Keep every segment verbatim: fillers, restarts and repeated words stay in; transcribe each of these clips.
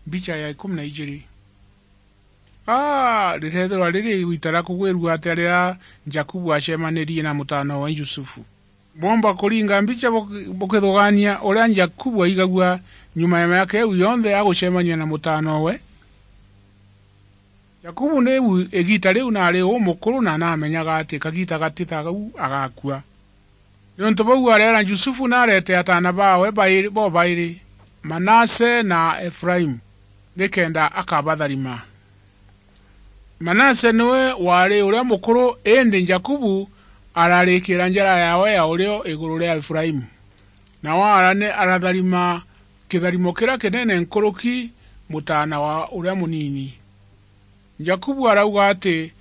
Mbicha ya ikumi na ijiri. Aa, rireethirwa riri igiita ria kugwirua atia riria Jakubu acemanirie na mutaana wa Yusufu? Bwomba kuringa mbicha buk-, bukithugaania uria Jakubu aigagua nyuma ya miaka iu yonthe agucemania na mutaana we? Jakubu niu igiita riu naari umukuru na naamenyaga ati kagiita gati ta gau agakua. Niuntu buu areera Yusufu na areete ataana baawe bairi, bobairi, Manase na Efraimu, nikenda akabatharima. Manase niwe waari uria mukuru, indi Jakubu ararikiira njara yaawe ya urio iguru ria Efraimu, nawe arane-, aratharima kitharimo kiria kinene nkuruki mutaana wa uria munini. Jakubu arauga ati,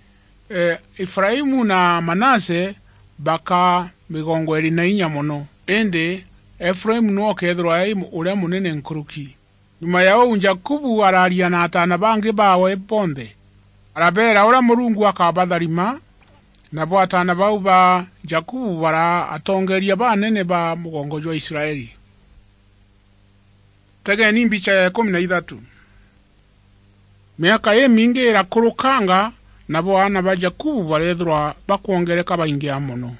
e, Efraimu na Manase baka migongo iiri na inya mono, indi Efraimu niwe ukeethirwa ai uria munene nkuruki. Nyuma ya uu, Jakubu araaria na ataana bangi baawe bonthe, arabeera uria Murungu akabatharima, nabo ataana bau ba Jakubu baraa atongeeria banene ba mugongo jwa Israeli. Tegeni mbicha ya ikumi na ithatu. Miaka imingi irakurukanga, nabo aana ba Jakubu bareethirwa bakwongereka baingia mono.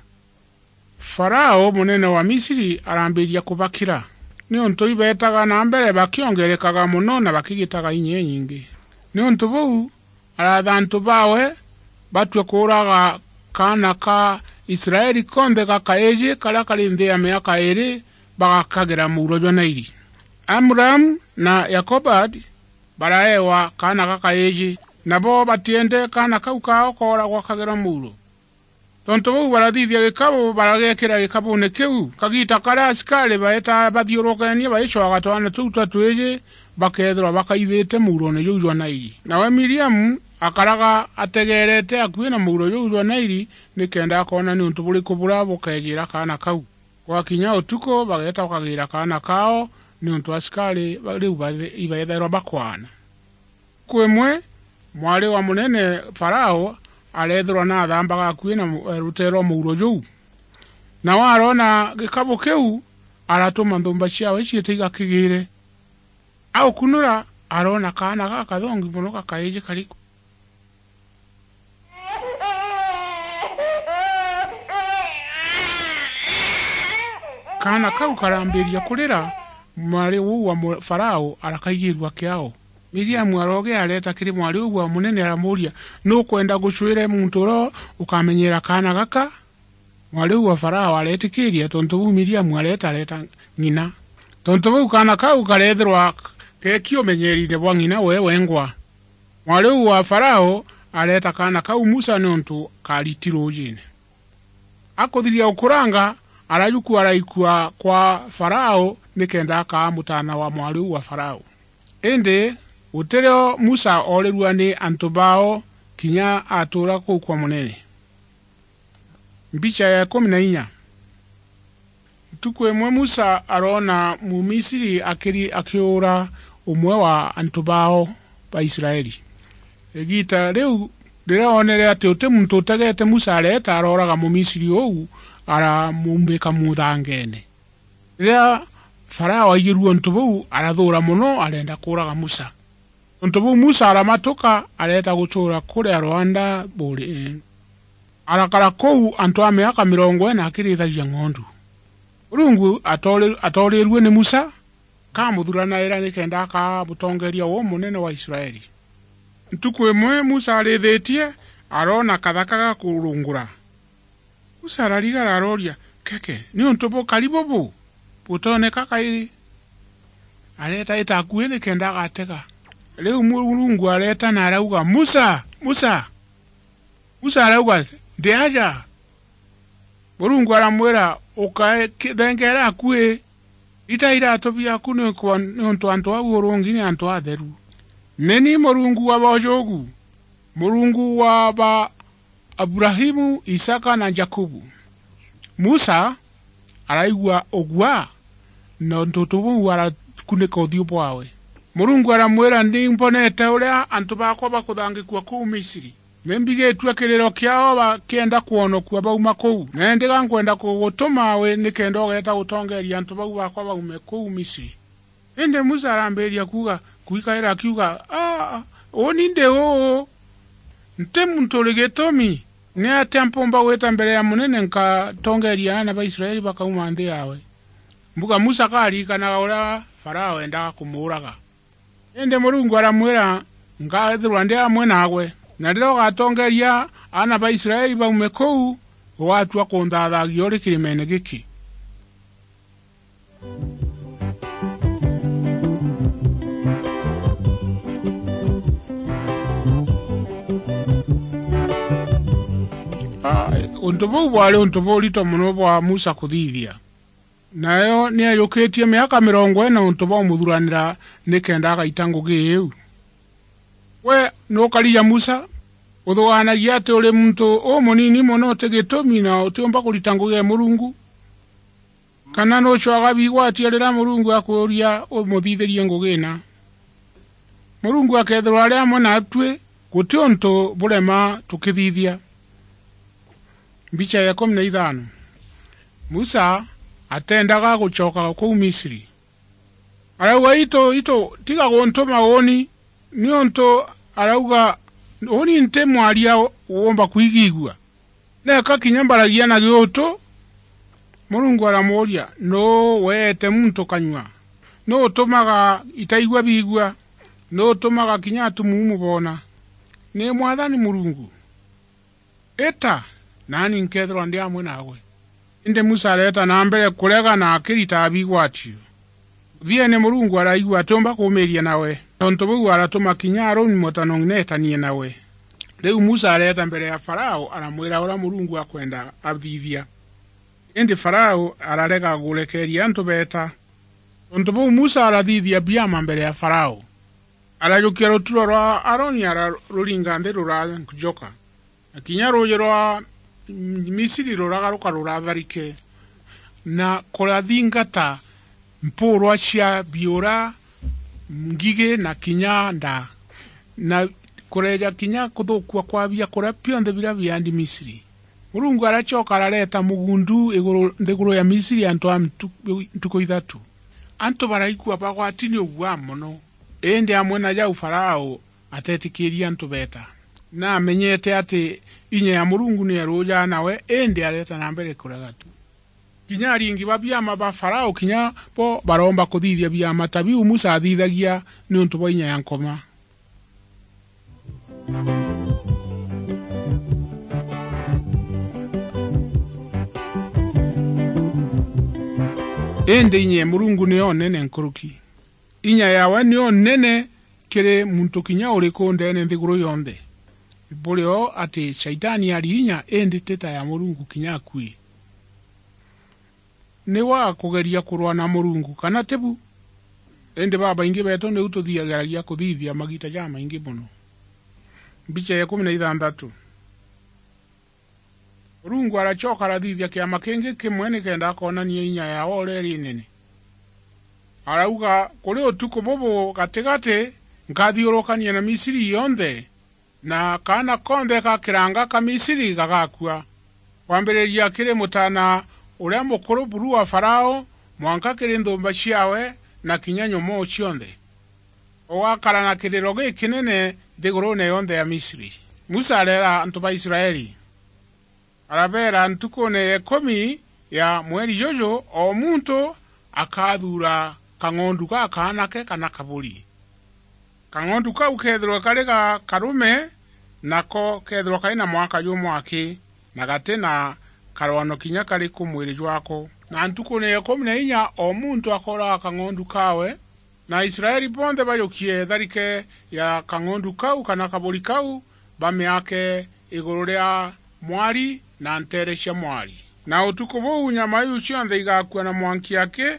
Farao, munene wa Misiri, arambiria kubakira, niuntu ibeetaga na mbere bakiongerekaga mono na bakigitaga inya inyingi. Niuntu buu, araatha antu baawe batue kuuraga kaana ka Israeli konthe gakaiji karia kari nthi ya miaka iiri, bagakagira muuro jwa Naili. Amuramu na Yokobadi baraewa kaana gakaiji, nabo batiende kaana kau kao kooragwa kagirwa muuro. Tontu buu, barathithia gikabu, barageekira gikabuune kiu. Kagiita karia asikari baetaa bathiurukeenie baicwaga twana tuu twa twiji, bakeethirwa bakaithite muuroone juu jwa Naili. Nawe Miriamu akaraga ategeerete akui na muuro juu jwa Naili, nikenda akoona niuntu buriku buria bukeejiira kaana kau. Gwakinya utuku, bageeta bakagiira kaana kao, niuntu asikari ba-, riu bathe-, ibeethairwa bakwaana. Ntuku imwe, mwari wa munene Farao areethirwa naathambaga akui na mu-, ruteere rwa muuro juu. Nawe aroona gikabu kiu, aratuma nthumba ciaawe ciite igakigiire. Aukunura, aroona kaana gakathongi mono gakaiji kari ku. Kaana kau karambiria kurira, mwari uu wa mu-, Farao arakaigirua kiao. Miriamu aroogia areeta kiri mwari uu wa munene aramuuria, "Nukwenda gucwire muntu uria ukamenyera kaana gaka?" Mwari uu wa Farao areetikiiria, tontu buu Miriamu areeta, areeta ng'ina. Tontu buu kaana kau kareethirwa geeki umenyeeriine bwa ng'ina we wengwa. Mwari uu wa Farao areeta kaana kau Musa niuntu kaariti ruujiine. Akuthiria gukuranga, arajukua araikua kwa Farao nikenda akaa mutaana wa mwari uu wa Farao. Indi gutirio Musa oorirua ni antu bao kinya atuura kuu kwa munene. Mbicha ya ikumi na inya. Ntuku imwe Musa aroona Mumisiri akiri-, akiura umwe wa antu bao ba Israeli. Igiita riu riria oonere ati uti muntu utegeete Musa areeta, arooraga Mumisiri uu, aramumbika muthangeene. Riria Farao aigirue untu buu, arathuura mono, arenda kuuraga Musa. Tontu buu Musa aramatuka, areeta gutuura kuria rwanda buuri. Arakara kuu antu a miaka mirongo ina akirithagia ng'ondu. Murungu atoori-, atoorirue ni Musa, akamuthuranaira nikenda akaa mutongeeria umunene wa Israeli. Ntuku imwe Musa arithitie, aroona kathaka gakurungura. Musa ararigara arooria, "Keke, niuntu bukari bubu butooneka kairi?" Areeta ita akui nikenda agatega. Riu Murungu areeta na arauga, "Musa! Musa!" Musa arauga, "Ndi aja." Murungu aramwira, "Ukae ki-, thengeera akui, ita iratu biaku, nikwa-, niuntu antu au urungi ni antu atheru. Ni ni Murungu wa boojugu, Murungu wa ba Aburahimu, Isaka na Jakubu." Musa araigua ugua, na untu buu arakunika uthiu bwawe. Murungu aramwira, "Ni mbonete uria antu baakwa bakuthangikua kuu Misiri. Ni mbigitue kiriro kiao bakienda kwonokua bauma kuu. Na indi ga nkwenda kugutuma wi nikenda ugeeta gutongeeria antu bau baakwa baume kuu Misiri." Indi Musa arambiria kuuga, kwikaira akiuga, "Aa, uuni ndi uu? Nti muntu uri gitumi. Ni atia mpumba gwita mbere ya munene nkatongeeria aana ba Israeli bakauma nthi yaawe?" Mbuga Musa akaririkanaga uria Farao eendaga kumuuraga. Indi Murungu aramwira, "Nkaethirwa ndi amwe naawe, na riria ugatongeeria aana ba Israeli baume kuu, ugatua kunthaathagia uri kirimeene giki." Aa, untu buu bwari untu burito mono bwa Musa kuthithia. Nayo ni ajukitie miaka mirongo ina untu bwa umuthuranira nikenda agaita ngugi iu. We nukarija Musa, uthugaanagia ati uri muntu umunini mono uti gitumi na utiumba kurita ngugi ya Murungu? Kana nucwaga bigwatio riria Murungu akuuria umuthithirie ngugi ina? Murungu akeethirwa ari amwe naatui, guti untu burema tukithithia. Mbicha ya ikumi na ithano. Musa ateendaga gucoka kuu Misri. Arauga, "Itu, itu, tiga guntuma uuni," niuntu arauga, "Uuni nti mwaria uumba kwigigua. Neka kinya mbaragia na giutu." Murungu aramuuria, "Nuu weete muntu kanyua? Nuu utumaga itaigua biigua? Nuu utumaga kinya atumuumu boona? Ni Mwathani Murungu. Ita, naani nkeethirwa ndi amwe naawe." Indi Musa areeta na mbere kurega na akiritaga bigwatio. Muthiene Murungu araigua atiumba kuumiiria nawe. Tontu buu aratuma kinya Aroni mutanoong'i neetanie nawe. Riu Musa areeta mbere ya Farao, aramwira uria Murungu akwenda athithia. Indi Farao ararega gurekeeria antu beeta. Tontu buu Musa arathithia biama mbere ya Farao. Arajukia ruturo rwa Aroni, araruringa nthi ruranjoka, na kinya ruuji rwa Misiri ruragaruka ruratharike, na kurathingata mpuurwa cia biura, ngigi, na kinya ndaa, na kureeja kinya kuthukua kwa biakuria bionthe biria biandi Misiri. Murungu aracoka arareeta mugundu iguru, nthiguru ya Misiri antu a ntu-, ntuku ithatu. Antu baraigua bagwati ni uguaa mono. Indi amwe na jau Farao ateetikiirie antu beeta. Naamenyete ati inya ya Murungu ni eruujaa nawe, indi areeta na mbere kurega tu. Kinya aringi ba biama ba Farao kinya bo baroomba kuthithia biama ta biu Musa aathithagia niuntu bwa inya ya Nkoma. Indi inya ya Murungu niyo nene nkuruki. Inya yaawe niyo nene kiri muntu kinya uriku ndeene nthiguru yonthe. Buri o ati Shaitani ari inya, indi ti ta ya Murungu kinya akui. Ni wa kugeria kurwa na Murungu, kana ti bu? Indi babaingi beetu niu tuthiagiragia kuthithia magiita jamaingi mono. Mbicha ya ikumi na ithanthatu. Murungu aracoka arathithia kiama kingi kimwe nikenda akoonania inya yaawe uria iri nene. Arauga, "Kuri utuku bubu gatigati, nkathiurukania na Misiri yonthe, na kaana konthe ga kiranga ka Misiri gagakua, kwambiriria kiri mutaana uria mukuru buru wa Farao, mwanka kiri nthumba ciawe, na kinya nyomoo cionthe. Ugakara na kiriro gikinene nthiguruune yonthe ya Misiri." Musa areera antu ba Israeli, arabeera, "Ntukuune ya ikumi ya mweri juju, o muntu akathuura kang'ondu gakaanake kana kaburi. Kang'ondu kau keethirwe kari ga karume, nako keethirwa kari na mwaka jumwe aki, na gati na karwano kinya kariku mwiri jwako. Na ntukuune ya ikumi na inya, o muntu akooraga kang'ondu kaawe, na Aisraeli bonthe bajukie tharike ya kang'ondu kau kana kaburi kau, bamiake iguru ria mwari na nteere cia mwari. Na utuku buu nyama iu cionthe igakua na mwanki aki,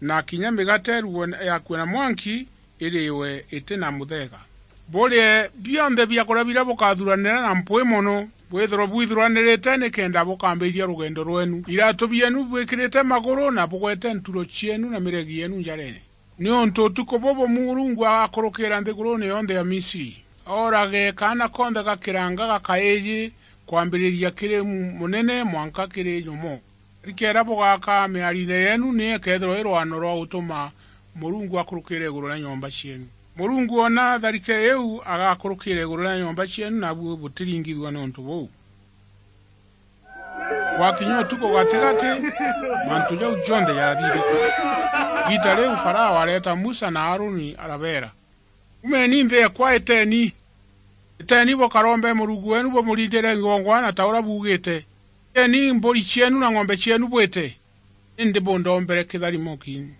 na kinya migate irugwe yakue na mwanki, iriwe iti na mutheega. Burie bionthe biakuria biria bukathuranira na mpwi mono, bwithirwe bwithuranirite nikenda bukambiriria rugendo rwenu. Iratu bienu bwikirite maguru, na bugwete nturo cienu na miregi yeenu njareene. Niuntu utuku bubu Murungu agakurukira nthiguruune yonthe ya Misiri, oorage kaana konthe ga kiranga ga kaiji, kwambiriria kiri mu-, munene mwanka kiri nyomo. Rikeera bugaka miariine yeenu, ni ikeethirwa i rwano rwa gutuma Murungu akurukire iguru ria nyomba cienu. Murungu oona tharike iu, agakurukira iguru ria nyomba cienu, nabu butiringithua niuntu buu. Gwakinya utuku gatigati, mantu jau jonthe jarathithikua. Igiita riu Farao areeta Musa na Aroni, arabeera, "Umeni nthi ekwa, iteni. Iteni bukarombe Murungu weenu, bumurindire kigongwana ta uria buugite. Iteni mburi cienu na ng'ombe cienu bwite, indi bundombere kitharimo kiinyu."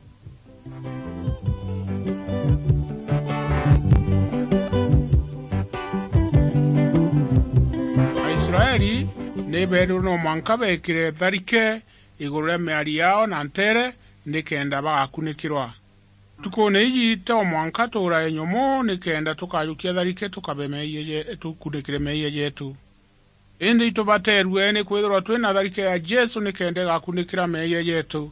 Aisraeli ni beerirwe no mwanka beekire tharike iguru ria miari yao na nteere, nikenda bagakunikirwa. Ntukuune iji, to mwanka tuurae nyomo nikenda tukajukia tharike tukabe meeyia je-, tukunikire meeyia jeetu. Indi itubateerue nikwithirwa twi na tharike ya Jesu nikenda igakunikira meeyia jeetu.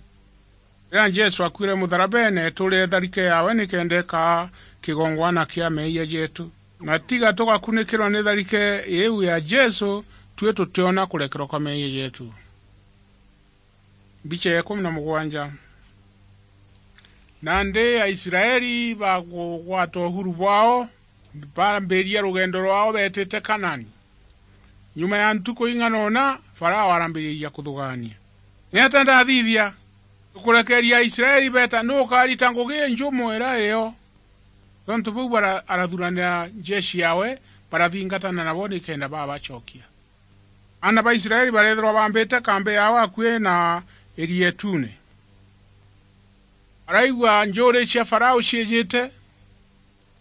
Riria Jesu akuire mutharabeene, tuurire tharike yaawe nikenda ikaa kigongwana kia meeyia jeetu. Na tiga tugakunikirwa ni tharike iiu ya Jesu, tui tutiona kurekerwa kwa meeyia jeetu. Mbicha ya ikumi na mugwanja. Nandi Aisraeli bagugwata uhuru bwao, baambiria rugendo rwao beetite Kanaani. Nyuma ya ntuku ing'ana una, Farao arambiriria kuthugaania. "Niatia ndathithia? Tukurekeria Aisraeli beeta, nu ukarita ngugi injumu ira iyo?" Tontu buu bara-, arathuranira njeshi yawe, barathingatana nabo nikenda babacokia. Aana ba Israeli bareethirwa baambite kambi yao akui na iria ituune. Baraigua njuuri cia Farao ciijite,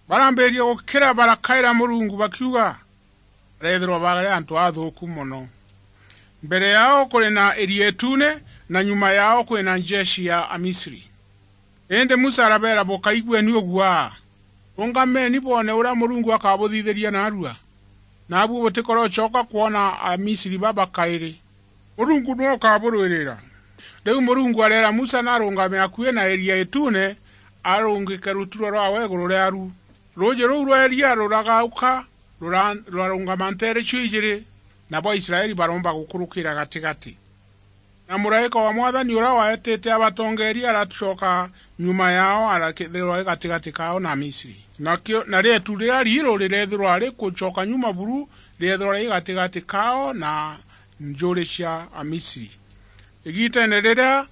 barambiriria gukira, barakaira Murungu bakiuga, bareethirwa bari antu athuuku mono. Mbere yao kuri na iria ituune, na nyuma yao kuri na njeshi ya Amisri. Indi Musa arabeera, "Bukaigueni uguaa. Rungameni bwone uria Murungu akabuthithiria naarua. Naabu butikoracoka kwona Amisri baba kairi. Murungu niwe ukaburwirira." Riu Murungu areera Musa narungame akui na iria ituune, arungike ruturwa rwawe iguru riaru. Ruuji ruu rwa iria ruragauka, rura-, rurarungama nteere cio ijiri, nabo Aisraeli baromba gukurukira gatigati. Na muraika wa Mwathani uria waetite abatongeeria aracoka nyuma yao, arakethirwa i gatigati kao na Amisri. Nakio, na rietu riria riiru rireethirwa rikucoka nyuma buru, rireethirwa ri gatigati kao na njuuri cia Amisri. Igiiteene riria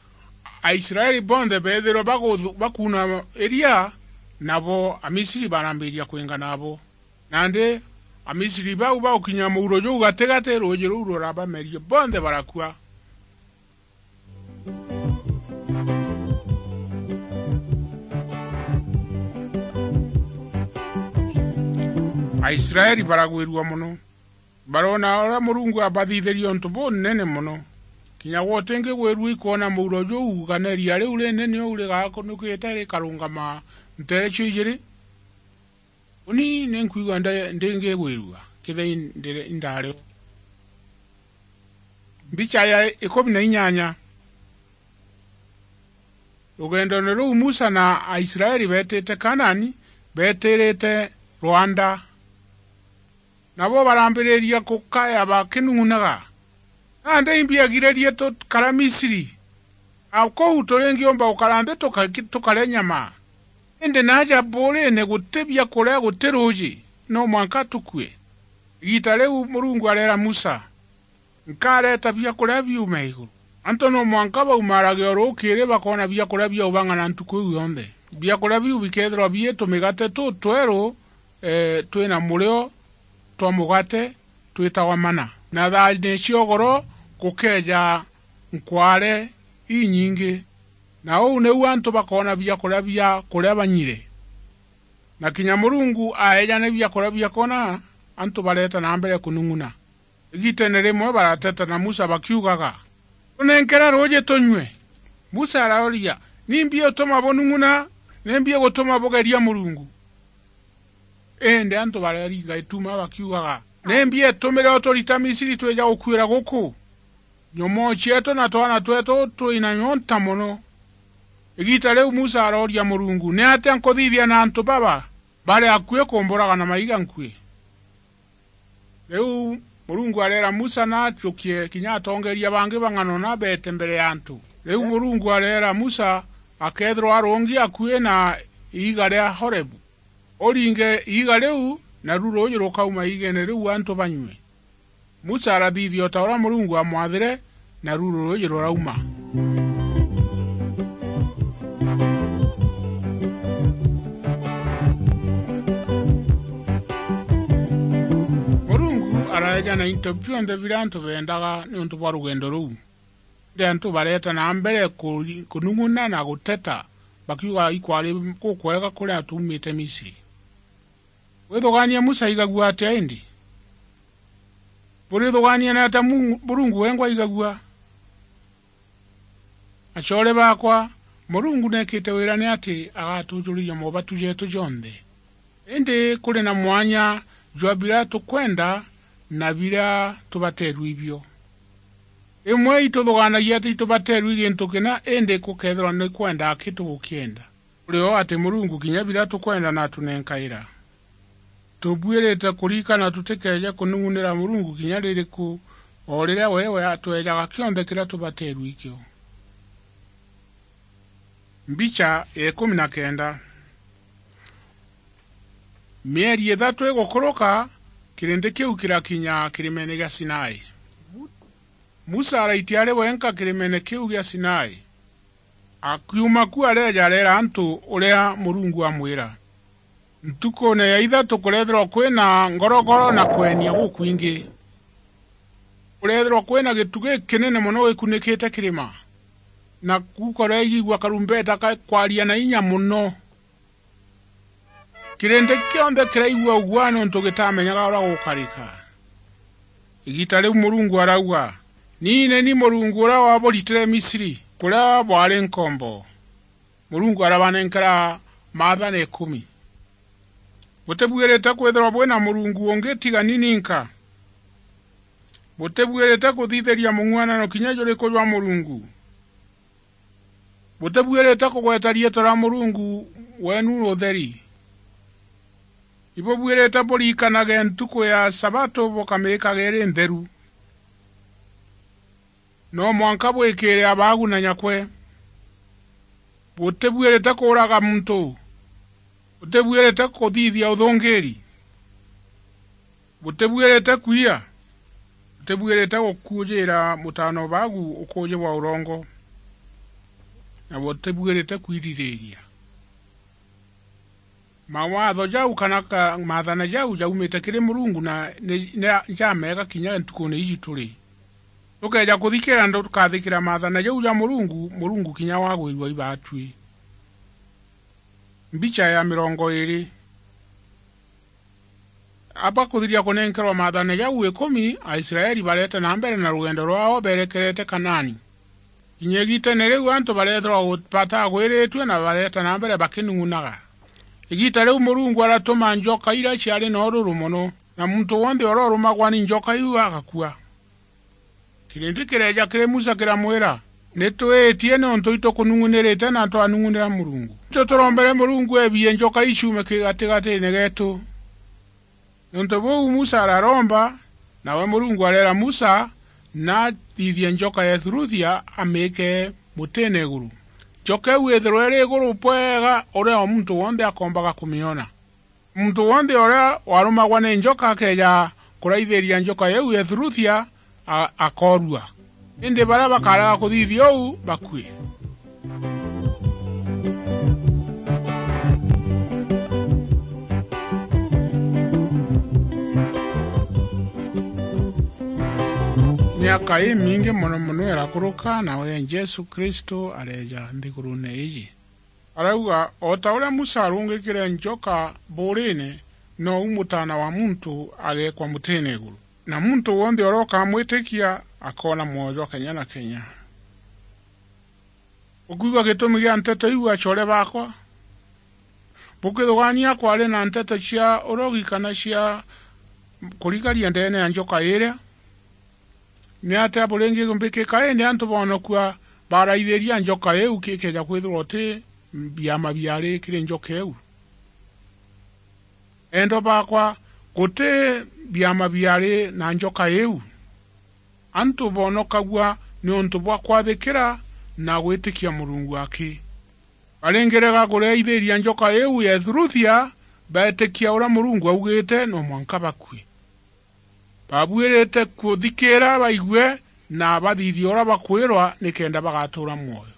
Aisraeli bonthe beethirwe baguthu-, bakuuna iria, nabo Amisri barambiria kwingana abo. Nandi Amisri bau bagukinya muuro juu gatigati, ruuji ruu rurabamerie, bonthe barakua. Aisraeli baragwirua mono. Baroona uria Murungu abathithirie untu bunene mono. Kinya gwe utingigwirua ikwona muuro juu, kana iria riu rinene uu rigakunukite rikarungama nteere cio ijiri. Uni ni nkwigua nda-, ndingigwirua, kethira indire-, indario. Mbicha ya ikumi na inyanya. Rugendoone ruu Musa na Aisraeli beetite Kanaani, beetirite rwanda. Nabo barambiriria gukaya bakinung'unaga, "Nandi imbi agiririe tukara Misiri? A kuu turingiumba gukara nthi tuka-, tukare nyama? Indi naaja buuriine guti biakuria, guti ruuji, no mwanka tukue." Igiita riu Murungu areera Musa, "Nkareeta biakuria biume iguru. Antu no mwanka baumaarage o ruukiri bakoona biakuria bia ubang'ana ntuku iu yonthe. Biakuria biu bikeethirwa bii tumigate tutweru, ee, twi na murio twa mugate twitagwa mana. Na thaani cia ugoro gukeeja nkwaare inyingi. Na uu niu antu bakoona biakuria bia kuria banyire." Na kinya Murungu aeejane biakuria bia koona, antu bareeta na mbere kunung'una. Igiiteene rimwe barateta na Musa bakiugaga, "Tunenkere ruuji tunyue." Musa arauria, "Nimbi utuma bunung'una? Nimbi igutuma bugeria Murungu?" Indi antu barariga ituma bakiugaga, "Nimbi itumire uturita Misiri twija gukuira guku? Nyomoo cieetu na twana tweetu twi na nyonta mono." Igiita riu Musa arooria Murungu, "Niatia nkuthithia na antu baba? Bari akui kumburaga na maiga nkui." Riu Murungu areera Musa na acukie kinya atongeeria bangi bang'ana una beete mbere ya antu. Riu Murungu areera Musa akeethirwa arungi akui na iiga ria Horebu. Uringe iiga riu, naru ruuji rukauma iigeene riu antu banyue." Musa arathithia o ta uria Murungu aamwathire, naru ruuji rurauma. Murungu araeja na into bionthe biria antu beendaga niuntu bwa rugendo ruu. Indi antu bareeta na mbere kuri-, kunung'una na guteta, bakiuga ikwari gukwega kuria tuumite Misri. Withugaania Musa aigagua atia indi? Burithugaania na atia Mu-, Murungu wengwa aigagua? Acoore baakwa, Murungu neekite wira ni ati agatujuriria mobatu jeetu jonthe. Indi kuri na mwanya jwa biria tukwenda na biria tubateerue ibio. Rimwe ituthugaanagia ati itubateerue gintu kina, indi gukeethirwa ni kwenda aki tugukienda. Kuri o ati Murungu kinya biria tukwenda natunenkaira. Tubuirite kurikana tutikeeje kunung'unira Murungu kinya ririku, o riria we, we atweejaga kionthe kiria tubateerue ikio. Mbicha ya ikumi na kenda. Mieri ithatu igukuruka, kirindi kiu kirakinya kirimeene gia Sinai. Musa araitia ari wenka kirimeene kiu gia Sinai. Akiuma ku areeja areera antu uria Murungu amwira. Ntukuune ya ithatu kureethirwa kwina ngorogoro na kwenia gukwingi. Kureethirwa kwina gitu gikinene mono gikunikite kirima, na kukoreigua karumbeta kakwaria na inya mono. Kirindi kionthe kiraigua uguaa niuntu gitamenyaga uria gukarika. Igiita riu Murungu arauga, "Ni ni ni Murungu uria waburitire Misri, kuria bwari nkombo." Murungu arabanenkera maathana ikumi. Butibuirite kwithirwa bwina Murungu ungi tiga ni ninka. Butibuirite kuthithiria mung'uanano kinya juriku jwa Murungu. Butibuirite kugweta riitwa ria Murungu weenu utheri. Ibubuirite burikanage ntuku ya Sabato bukamikage iri ntheru. No mwanka bwikire abaagu na nyakwe. Butibuirite kuuraga muntu. Butibuirite kuthithia uthungiiri. Butibuirite kwiya. Butibuirite gukuujiira mutaana o baagu ukuuji bwa urongo. Na butibuirite kwiririria. Mawatho jau kana ka-, maathana jau jaumite kiri Murungu na ni, ni jameega kinya ntukuune iji turi. Tukeeja kuthikira na tukathikira maathana jau ja Murungu, Murungu kinya wagwirua ibaatui. Mbicha ya mirongo iiri. Aba kuthiria kunenkerwa maathana jau ikumi, Aisraeli bareete na mbere na rugendo rwao berekerete Kanaani. Kinya igiiteene riu antu bareethirwa gu-, batagwiritue na bareeta na mbere bakinung'unaga. Igiita riu Murungu aratuma njoka iria ciari na ururu mono, na muntu wonthe uria urumagwa ni njoka iu agakua. Kirindi kireeja kiri Musa kiramwira, "Ni twiitie niuntu itukunung'unirite na twanung'unira Murungu. Itu turombere Murungu eebie njoka iu ciume ki-, gatigatiine geetu." Niuntu buu Musa araromba, nawe Murungu areera Musa nathithie njoka ya Ethuruthia amiike mutiine iguru. Njoka iu ithirwe iri iguru bwega uria o muntu wonthe akoombaga kumiona. Muntu wonthe uria warumagwa ni njoka akeeja kuraithiria njoka iu ya Ethuruthia, a-, akoorua. Indi baria bakarega kuthithia uu, bakue. Miaka imingi mono mono irakuruka, nawe Jesu Kristo areeja nthiguruune iiji. Arauga, "O ta uria Musa arungikire njoka buuriine, nou Mutaana wa Muntu ageekwa mutiine iguru. Na muntu wonthe uria ukamwitikia akoona mwoyo jwa kenya na kenya." Bukwigua gitumi gia nteto iu, acoore baakwa? Bukithugaania kwari na nteto cia urogi kana cia kurigaria ndeene ya njoka iria? Ni atia buringi mbikika indi antu boonokua baraithiria njoka iu kikeeja kwithirwa uti biama biari kiri njoka iu? Endwa baakwa, guti biama biari na njoka iu. Antu boonokagua niuntu bwa kwathikira na gwitikia Murungu aki. Baringirega kuriaithiria njoka iu ya Ethuruthia, beetikia uria Murungu augite, no mwanka bakue. Babuirite kuthikiira baigue na bathithie uria bakwirwa nikenda bagatuura mwoyo.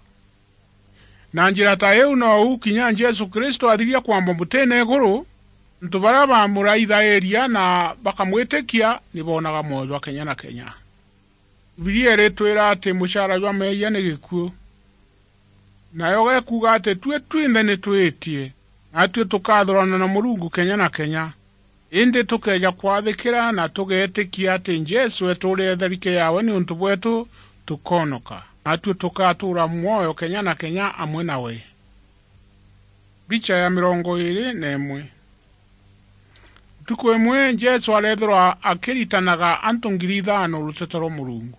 Na njira ta iu nou kinya Jesu Kristo athiria kwamba mutine iguru, antu baria bamuraithairia na bakamwitikia ni boonaga mwoyo jwa kenya na kenya. Bibilia iritwira ati mucara jwa meeyia ni gikuu. Nayo gekuuga ati tui twinthe ni twiitie, natui tukathurana na Murungu kenya na kenya. Indi tukeeja kwathikira na tugeetikia ati Jesu eeturire tharike yaawe niuntu bweetu, tukoonoka, natui tukatuura mwoyo kenya na kenya amwe nawe. Mbicha ya mirongo iiri na imwe. Ntuku imwe Jesu areethirwa akiritanaga antu ngiri ithaano ruteto rwa Murungu.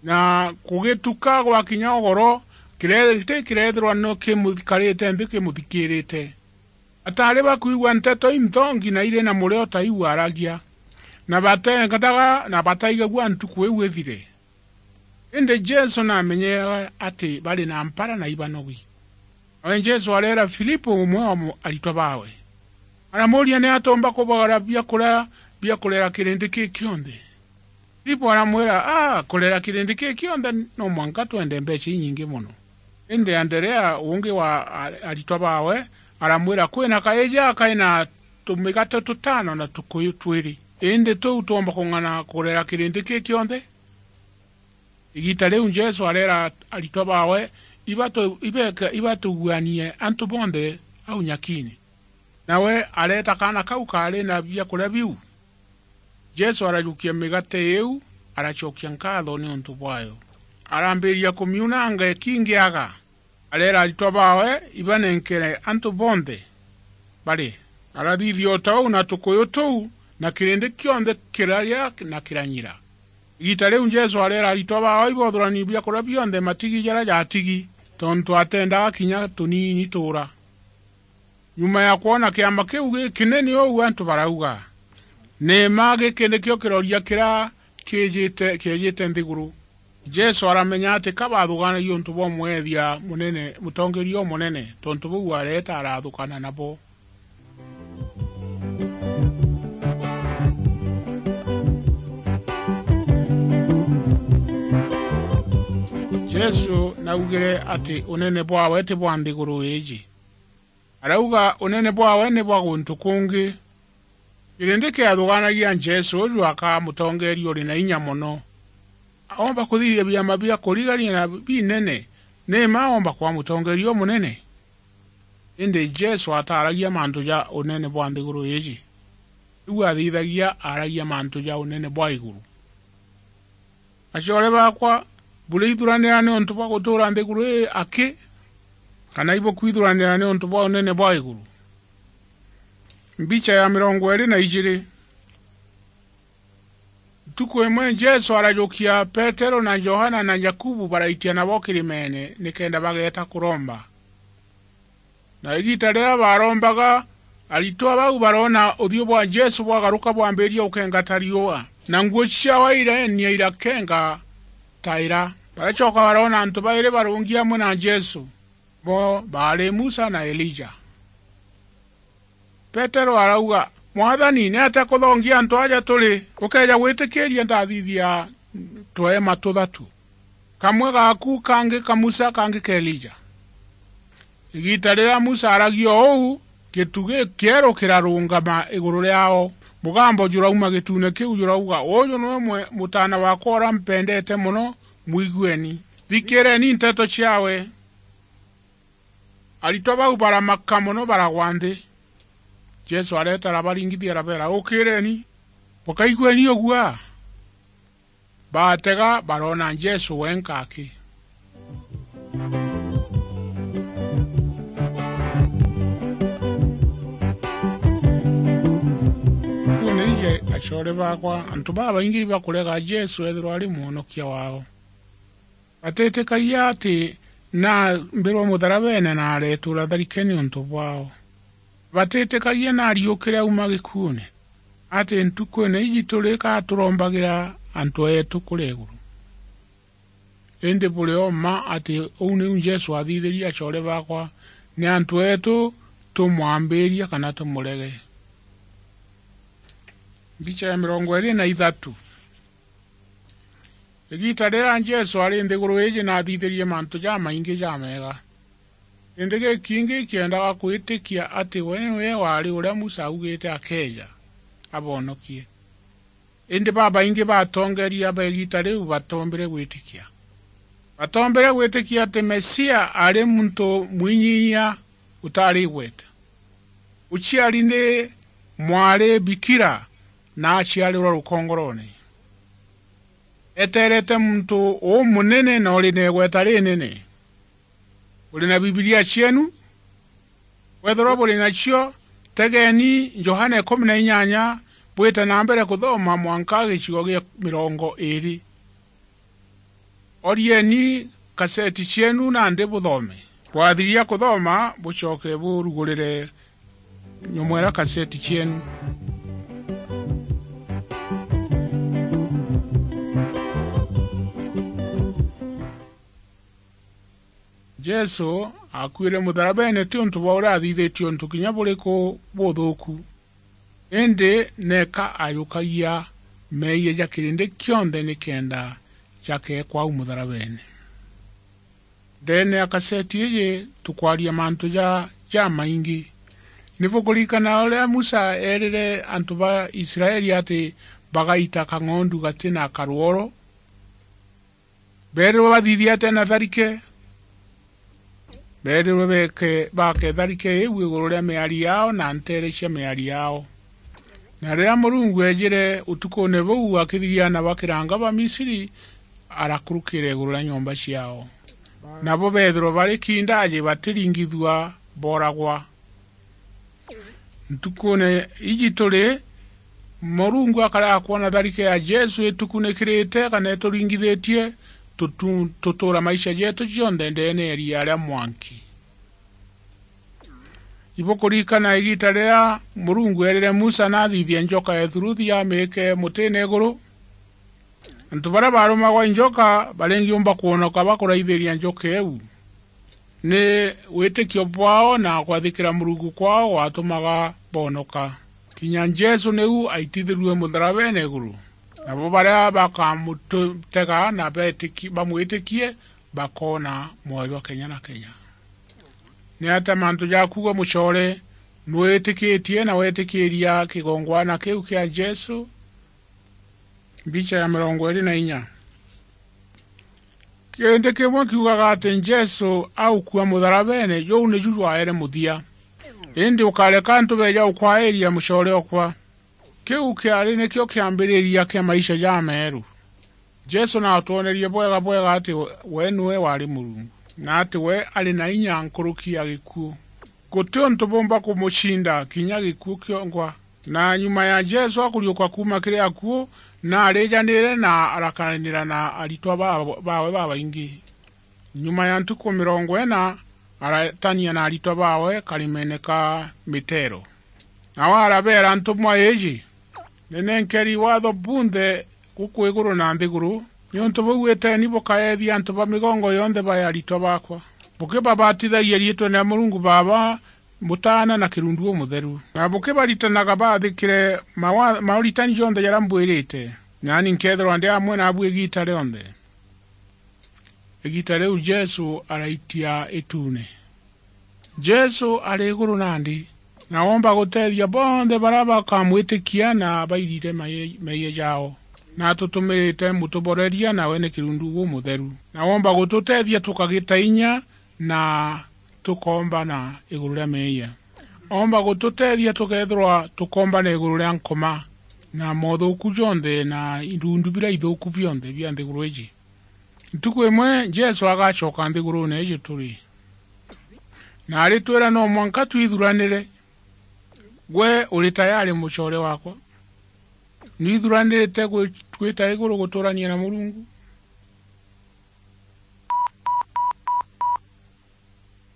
Na kugituka gwakinya ugoro, kireti kireethirwa ni kimukarite nthi kimuthikiirite. Ataari bakwigua nteto inthongi na iri na murio ta iu aaragia, na bateenganaga na bataigagua ntuku iu ithire. Indi Jesu naamenyaga ati bari na mpara na ibanogi. Nawe Jesu areera Filipo, umwe wa mu-, aritwa baawe, aramuuria ni atia umba kubagara biakuria bia kurera kirindi kii kionthe. Filipo aramwira, "Aa, kurera kirindi kii kionthe no mwanka twende mbeecha inyingi mono." Indi Anderea, ungi wa a-, aritwa baawe, aramwira, "Kwina kaiji kai na tumigate tutano na tukuyu twiri. Indi tuu twomba kung'ana kurera kirindi kii kionthe?" Igiita riu Jesu areera aritwa baawe, "Ibatu-, ibeke-, ibatuguanie antu bonthe au nyakiine." Nawe areeta kaana kau kaari na biakuria biu. Jesu arajukia migate iu, aracokia nkaatho niuntu bwayo. Arambiria kumiunanga ikingiaga, areera aritwa baawe ibanenkere antu bonthe bari. Arathithia o ta uu na tukuyu tuu, na kirindi kionthe kiraria na kiranyira. Igiita riu Jesu areera aritwa baawe ibothuranie biakuria bionthe matigi jaria jaatigi, tontu ateendaga kinya tuniini tuura. Nyuma ya kwona kiama kiu gikinene uu, antu barauga, "Ni mma giki nikio kiroria kiria kiijite, kiejite nthiguru." Jesu aramenya ati ka bathugaanagia untu bwa mweethia munene, mutongeeria umunene, tontu buu areeta arathukana nabo. Jesu naugire ati unene bwawe ti bwa nthiguru iiji. Arauga unene bwawe ni bwa guntu kungi. Kirindi kiathugaanagia Jesu uju akaa mutongeeria uri na inya mono. Aomba kuthithia biama bia kurigania na binene, ni mma aomba kwaa mutongeeria umunene? Indi Jesu ataaragia mantu ja unene bwa nthiguru iiji. Riu athithagia aaragia mantu ja unene bwa iguru. Acoore baakwa, buriithuranira niuntu bwa gutuura nthiguru ii aki, kana ibukwithuranira niuntu bwa unene bwa iguru? Mbicha ya mirongo iiri na ijiiri. Ntuku imwe Jesu arajukia Petero na Johana na Jakubu, baraitia nabo kirimeene nikenda bageeta kuromba. Na igiita riria baarombaga, aritwa bau baroona uthiu bwa Jesu bwagaruka bwambiiria gukenga ta riua, na nguo ciaawe ireenia irakenga ta ira. Baracoka baroona antu bairi barungi amwe na Jesu, bo baari Musa na Elija. Petero arauga, "Mwathani, ni atia kuthongia antu aja turi? Ukeeja gwitikiiria ndathithia tweema tuthatu, kamwe gaaku, kangi ka Musa, kangi ka Elija?" Igiita riria Musa aaragia uu, gitu gikieru kirarungama iguru riaao. Mugambo jurauma gituune kiu jurauga, "Uju niwe mwe-, mutaana waakwa uria mpendeete mono, mwigueni. Thikiireni nteto ciaawe." Aritwa bau baramaka mono, baragwa nthi. Jesu areeta arabaringithia, arabeera, "Ukiireni, bukaigueni uguaa." Baatega, baroona Jesu wenka aki. Uu ni ije, acoore baakwa, antu babaingi ibakurega Jesu eethirwa ari mwonokia waao. Batitikagia ati naambirwe mutharabeene na areetuura tharike niuntu bwaao. Batitikagia naariukire auma gikuune, ati ntukuune iji turi ka turombagira antu eetu kuria iguru. Indi buri o mma ati uu niu Jesu aathithirie acoore baakwa, ni antu eetu tumwambiria kana tumurege. Mbicha ya mirongo iiri na ithatu. Igiita riria Jesu ari nthiguru iiji, naathithirie mantu jamaingi jameega. Indi gikingi kiendaga kwitikia ati we niwe waari uria Musa augite akeeja, abonokie. Indi babaingi ba atongeeria ba igiita riu batoombire gwitikia. Batoombire gwitikia ati Mesia aari muntu mwinyinyia utaari igweta. Uciari ni mwari bikira na aciarirwa rukongorone. Eteerete muntu umunene na uri na igweta rinene. Buri na Bibilia cienu? Kwethirwa buri nacio, tegeeni Johana ikumi na inyanya, bwite na mbere kuthoma mwanka gicigo gia mirongo iiri. Orieni kaseti cienu nandi buthome. Bwathiria kuthoma, bucoke burugurire nyomwera kaseti cienu. Jesu aakuire mutharabene ti untu bwa uria aathithitie untu kinya buriku buthuuku, indi neeka ajukagia meeyia ja kirindi kionthe nikenda jakeekwa au mutharabene. Ndeene ya kaseti iiji tukwaria mantu ja, jamaingi. Ni bukuririkana uria Musa eerire antu ba Israeli ati bagaita kang'ondu gati na karuoro? Beerirwe bathithie atia na tharike? Beerirwe beeke, baake tharike iu iguru ria miari yaao na nteere cia miari yaao. Na riria Murungu eejire utukuune buu akithiria na bakiranga ba Misiri, arakurukira iguru ria nyomba ciaao. Nabo beethirwa bari kindaji batiringithua, booragwa. Ntukuune iji turi, Murungu akarega kwona tharike ya Jesu itukunikirite kana ituringithitie, tutu-, tutuura maisha jeetu jonthe ndeene ya iria ria mwanki. Ibukuririkana igiita riria Murungu eerire Musa naathithie njoka ya ithuruthi amiike mutiine iguru? Antu baria baarumagwa i njoka baringiumba kwonoka bakuraithiria njoka iu. Ni witikio bwaao na kwathikira Murungu kwaao gwatumaga boonoka. Kinya Jesu niu aitithirue mutharabene iguru. Nabo baria bakamutega na betiki-, bamwitikie bakoona mwoyo jwa kenya na kenya. Ni atia mantu jaku gwe mucoore? Nwitikitie na wetikiria kigongwana kiu kia Jesu? Mbicha ya mirongo iiri na inya. Kirindi kimwe kiugaga ati Jesu aukua mutharabene, juu niju jwaere muthia. Indi ukareka antu beeja ukwairia mucoore okwa. Kiu kiari nikio kiambiriria kia maisha jameeru. Jesu naatwonerie bwega bwega ati we, we niwe waari Murungu, na ati we ari na inya nkuruki ya gikuu. Guti untu buumba kumucinda, kinya gikuu kiongwa. Na nyuma ya Jesu akuriuka kuuma kiri akuu, naarijanire na arakanira na aritwa ba-, baawe babaingi. Nyuma ya ntuku mirongo ina, aratania na aritwa baawe karimene ka miteero. Nao arabeera ntumwa iiji, "Ni nenkeri waatho bunthe guku iguru na nthiguru, niuntu buu iteni bukaethia antu ba migongo yonthe bae aritwa baakwa, bukibabatithagia riitwene ria Murungu Baaba, Mutaana na Kirundu Umutheru, na bukibaritanaga baathikire mawa-, mauritani jonthe jaria mbwirite, naani nkeethirwa ndi amwe naabu igiita rionthe." Igiita riu Jesu araitia ituune. Jesu ari iguru nandi, na oomba guteethia bonthe baria bakamwitikia na bairire mai-, meeyia jaao. Na atutumirite mutuboreria, nawe ni Kirundu Umutheru. Na oomba gututeethia tukagita inya na tukombana iguru ria meeyia. Oomba gututeethia tukeethirwa tukombana iguru ria nkoma na moothuuku jonthe na irundu biria ithuuku bionthe bia nthiguru iiji. Ntuku imwe Jesu agacoka nthiguruune iiji turi, na aritwira no mwanka twithuranire. Gwe uri tayari, mucoore waakwa? Nwithuranirite gwi-, gwita iguru gutuurania na Murungu?